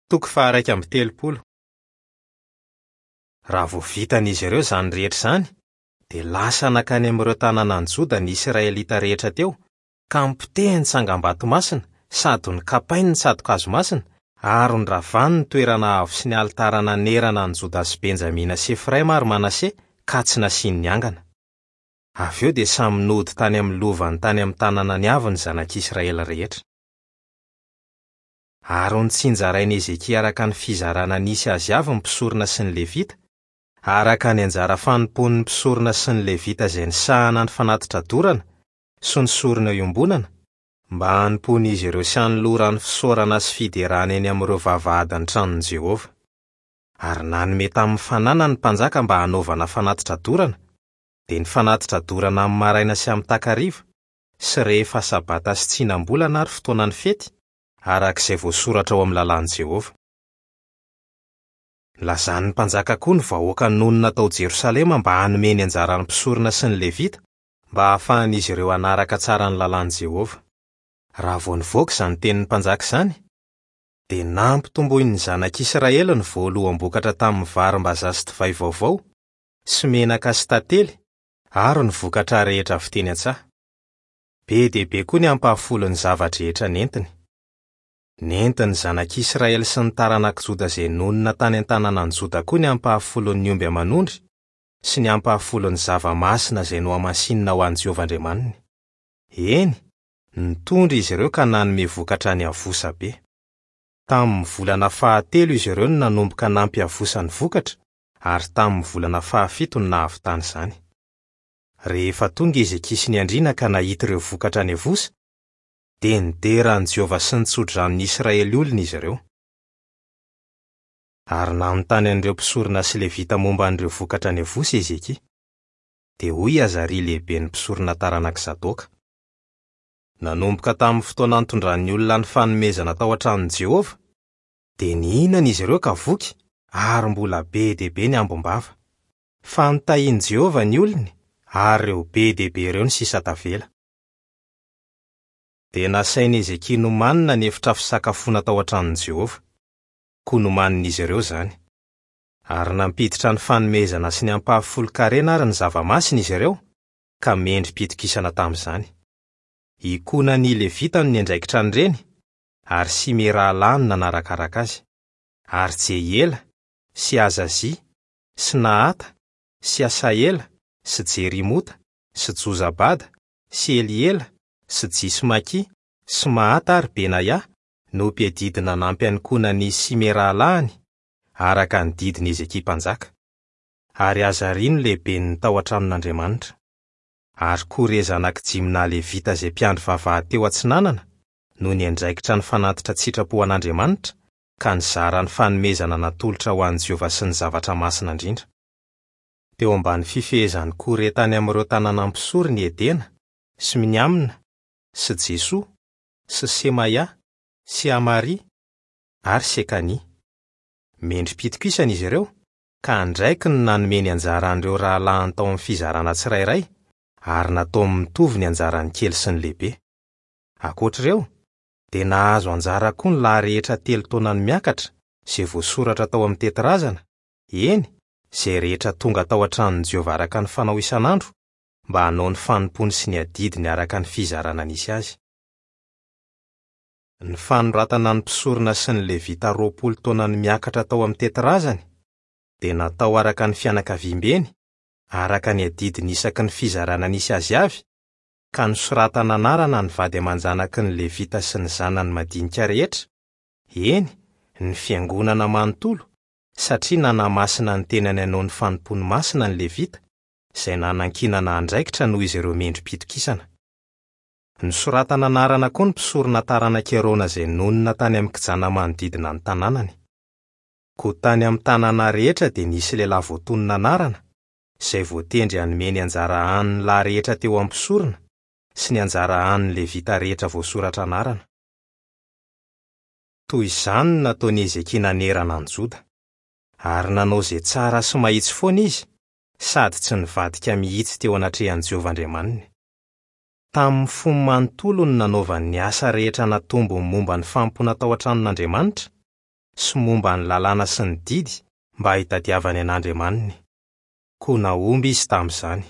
Toko faha-31. Raha vao vitan'izy ireo izany rehetra izany, dia lasa nankany amin'ireo tanànan'i Joda ny Israelita rehetra teo, ka nopotehiny ny tsangambato masina sady nokapainy ny tsato-kazo masina, ary noravany ny toerana avo sy ny alitara nanerana an'i Joda sy Benjamina sy Efraima ary Manase, ka tsy nasiany niangana. Avy eo dia samy nody tany amin'ny lovany tany amin'ny tanànany avy ny zanak'Israely rehetra. Ary notsinjarain'i Hezekia araka ny fizarana nisy azy avy ny mpisorona sy ny Levita, araka ny anjara fanompoan'ny mpisorona sy ny Levita izay nisahana ny fanatitra dorana sy ny sorona iombonana, mba hanompoan'izy ireo sy hanolorany fisaorana sy fiderana eny amin'ireo vavahadin'ny tranon'i Jehovah. Ary nanome tamin'ny fananany ny mpanjaka mba hanaovana fanatitra dorana, dia ny fanatitra dorana amin'ny maraina sy amin'ny takariva, sy rehefa Sabata sy tsinam-bolana ary fotoanan'ny fety, araka izay voasoratra ao amin'ny Lalàn'i Jehovah. Nilazan'ny mpanjaka koa ny vahoaka nonina tao Jerosalema mba hanome ny anjaran'ny mpisorona sy ny Levita, mba hahafahan'izy ireo hanaraka tsara ny Lalàn'i Jehovah. Raha vao nivoaka izany tenin'ny mpanjaka izany, dia nampitomboin'ny zanak'Israely ny voaloham-bokatra tamin'ny varimbazaha sy divay vaovao, sy menaka sy tantely, ary ny vokatra rehetra avy teny an-tsaha. Be dia be koa ny ampahafolon'ny zava-drehetra nentiny. Nentin'ny zanak'Israely sy ny taranak'i Joda izay nonina tany an-tanànan'i Joda koa ny ampahafolon'ny omby aman'ondry sy ny ampahafolon'ny zava-masina izay nohamasinina ho an'i Jehovah Andriamaniny. Eny, nitondra izy ireo ka nanome vokatra niavosa be. Tamin'ny volana fahatelo izy ireo no nanomboka nampiavosa ny vokatra, ary tamin'ny volana fahafito no nahavitany izany. Rehefa tonga i Hezekia sy ny andriana ka nahita ireo vokatra niavosa, dia nidera an'i Jehovah sy nitso-drano ny Israely olony izy ireo. Ary nanontany an'ireo mpisorona sy Levita momba an'ireo vokatra niavosa i Hezekia. Dia hoy i Azaria lehiben'ny mpisorona taranak'i Zadoka, Nanomboka tamin'ny fotoana nitondran'ny olona ny fanomezana tao an-tranon'i Jehovah, dia nihinana izy ireo ka voky, ary mbola be dia be ny ambim-bava. Fa notahin'i Jehovah ny olony, ary ireo be dia be ireo no sisa tavela. Dia nasain'i Hezekia nomanina ny efitra fisakafoana tao an-tranon'i Jehovah. Koa nomanin'izy ireo izany. Ary nampiditra ny fanomezana sy ny ampahafolon-karena ary ny zava-masina izy ireo, ka mendri-pitokisana tamin'izany. I Konania Levita no niandraikitra an'ireny, ary Simey rahalahiny nanarakaraka azy. Ary Jehiela, sy Azazia, sy Nahata, sy Asaela, sy Jerimota, sy Jozabada, sy Eliela, sy Jismakia, sy Mahata ary Benaia, no mpiadidy nanampy an'i Konania sy Simey rahalahiny, araka ny didin'i Hezekia mpanjaka. Ary Azaria no lehiben'ny tao an-tranon'Andriamanitra. Ary Kore zanak'i Jimna Levita izay mpiandry vavahady teo atsinanana no niandraikitra ny fanatitra an-tsitrapo ho an'Andriamanitra, ka nizara ny fanomezana natolotra ho an'i Jehovah sy ny zavatra masina indrindra. Teo ambany fifehezan'i Kore tany amin'ireo tanàna mpisorona i Edena, sy Miniamina, sy Jesoa, sy Semaia, sy Amaria, ary Sekania. Mendri-pitokisana izy ireo, ka andraikiny ny nanome ny anjaran'ireo rahalahiny tao amin'ny fizarana tsirairay, ary nataony mitovy ny anjaran'ny kely sy ny lehibe. Ankoatra ireo, dia nahazo anjara koa ny lahy rehetra telo taona no miakatra, izay voasoratra tao amin'ny tetirazana, eny, izay rehetra tonga tao an-tranon'i Jehovah araka ny fanao isan'andro, mba hanao ny fanompoany sy ny adidiny araka ny fizarana nisy azy. Ny fanoratana ny mpisorona sy ny Levita 20 taona no miakatra tao amin'ny tetirazany dia natao araka ny fianakaviambeny, araka ny adidiny isaky ny fizarana nisy azy avy, ka nosoratana anarana ny vady aman-janaky ny Levita sy ny zanany madinika rehetra, eny, ny fiangonana manontolo, satria nanamasina ny tenany hanao ny fanompoany masina ny Levita, izay nanankinana andraikitra noho izy ireo mendri-pitokisana. Nosoratana anarana koa ny mpisorona taranak'i Arona izay nonina tany amin'ny kijana manodidina ny tanànany. Koa tany amin'ny tanàna rehetra dia nisy lehilahy voatonona anarana, izay voatendry hanome ny anjara hanin'ny lahy rehetra teo amin'ny mpisorona sy ny anjara hanin'ny Levita rehetra voasoratra anarana. Toy izany no nataon'i Hezekia nanerana an'i Joda. Ary nanao izay tsara sy mahitsy foana izy, sady tsy nivadika mihitsy teo anatrehan'i Jehovah Andriamaniny. Tamin'ny fony manontolo no nanaovany ny asa rehetra natombony momba ny fanompoana tao an-tranon'Andriamanitra, sy momba ny lalàna sy ny didy mba hitadiavany an'Andriamaniny. Koa nahomby izy tamin'izany.